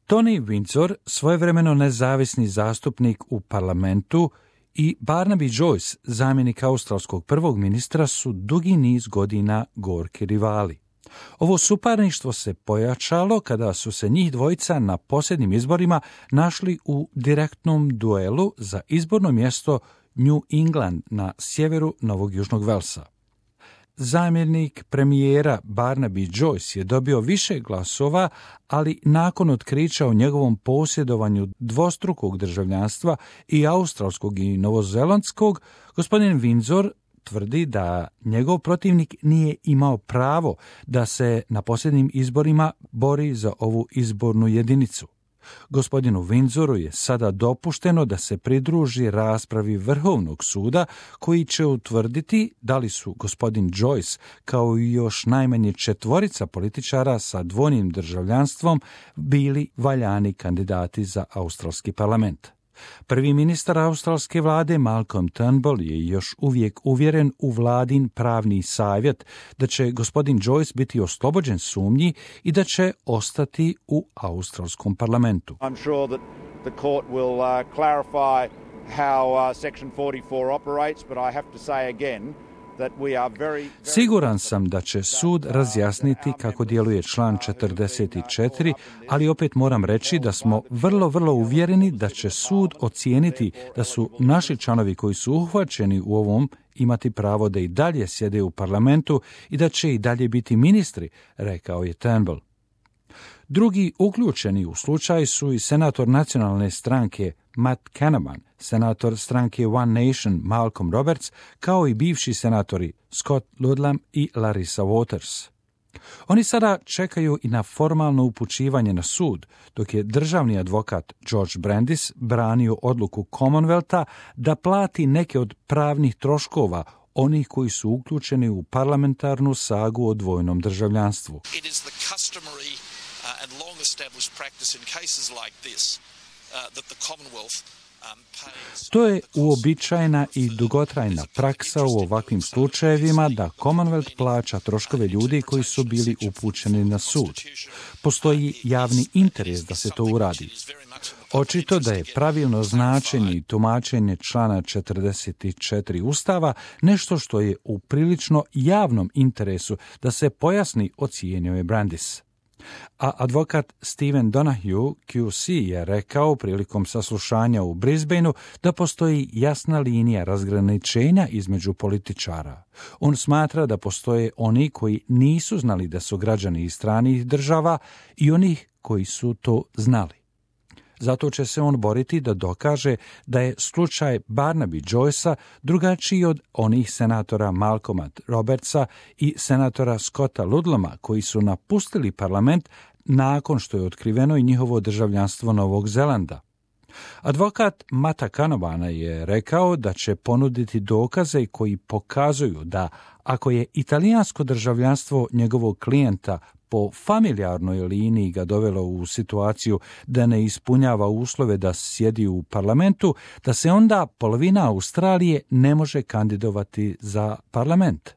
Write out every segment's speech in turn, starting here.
Tony Windsor, svojevremeno nezavisni zastupnik u parlamentu, i Barnaby Joyce, zamjenik australskog prvog ministra, su dugi niz godina gorki rivali. Ovo suparništvo se pojačalo kada su se njih dvojica na posljednjim izborima našli u direktnom duelu za izborno mjesto New England na sjeveru Novog Južnog Velsa. Zamjenik premijera Barnaby Joyce je dobio više glasova, ali nakon otkrića o njegovom posjedovanju dvostrukog državljanstva i australskog i novozelandskog, gospodin Windsor tvrdi da njegov protivnik nije imao pravo da se na posljednjim izborima bori za ovu izbornu jedinicu. Gospodinu Windsoru je sada dopušteno da se pridruži raspravi Vrhovnog suda koji će utvrditi da li su gospodin Joyce kao i još najmanje 4 političara sa dvojnim državljanstvom bili valjani kandidati za australski parlament. Prvi ministar australske vlade Malcolm Turnbull je još uvijek uvjeren u vladin pravni savjet da će gospodin Joyce biti oslobođen sumnji i da će ostati u australskom parlamentu. I'm sure that the court will clarify how section 44 operates, but I have to say again that we are very... Siguran sam da će sud razjasniti kako djeluje član 44, ali opet moram reći da smo vrlo uvjereni da će sud ocijeniti da su naši članovi koji su uhvaćeni u ovom imati pravo da i dalje sjede u parlamentu i da će i dalje biti ministri, rekao je Turnbull. Drugi uključeni u slučaj su i senator nacionalne stranke Matt Canavan, senator stranke One Nation Malcolm Roberts, kao i bivši senatori Scott Ludlam i Larissa Waters. Oni sada čekaju i na formalno upućivanje na sud, dok je državni advokat George Brandis branio odluku Commonwealtha da plati neke od pravnih troškova onih koji su uključeni u parlamentarnu sagu o dvojnom državljanstvu. It is the customary and long established practice in cases like this that the Commonwealth pays. To je uobičajena i dugotrajna praksa u ovakvim slučajevima da Commonwealth plaća troškove ljudi koji su bili upućeni na sud. Postoji javni interes da se to uradi. Očito da je pravilno značenje i tumačenje člana 44 Ustava nešto što je u prilično javnom interesu da se pojasni, ocijenio je Brandis. A advokat Stephen Donahue, QC, je rekao prilikom saslušanja u Brisbaneu da postoji jasna linija razgraničenja između političara. On smatra da postoje oni koji nisu znali da su građani iz stranih država i onih koji su to znali. Zato će se on boriti da dokaže da je slučaj Barnaby Joycea drugačiji od onih senatora Malcolma Robertsa i senatora Scotta Ludlama koji su napustili parlament nakon što je otkriveno i njihovo državljanstvo Novog Zelanda. Advokat Matta Canavana je rekao da će ponuditi dokaze koji pokazuju da ako je italijansko državljanstvo njegovog klijenta po familijarnoj liniji ga dovelo u situaciju da ne ispunjava uslove da sjedi u parlamentu, da se onda polovina Australije ne može kandidovati za parlament.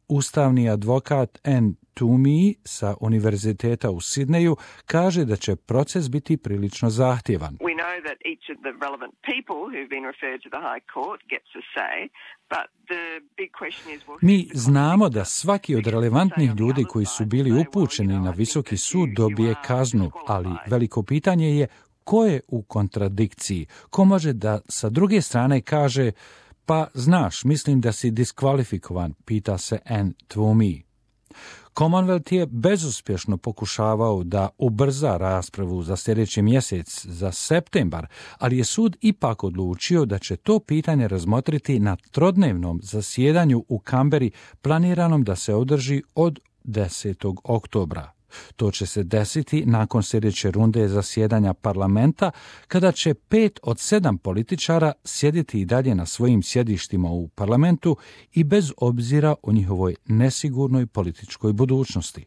Ustavni advokat Anne Toomey sa Univerziteta u Sidneju kaže da će proces biti prilično zahtjevan. We know that each of the relevant people who've been referred to the High Court gets a say, but the big question is... Mi znamo da svaki od relevantnih ljudi koji su bili upućeni na visoki sud dobije kaznu, ali veliko pitanje je ko je u kontradikciji, ko može da sa druge strane kaže pa znaš, mislim da si diskvalifikovan, pita se Anne Toomey. Commonwealth je bezuspješno pokušavao da ubrza raspravu za sljedeći mjesec, za septembar, ali je sud ipak odlučio da će to pitanje razmotriti na trodnevnom zasjedanju u Kamberi planiranom da se održi od 10. oktobra. To će se desiti nakon sljedeće runde zasjedanja parlamenta, kada će 5 od 7 političara sjediti i dalje na svojim sjedištima u parlamentu i bez obzira o njihovoj nesigurnoj političkoj budućnosti.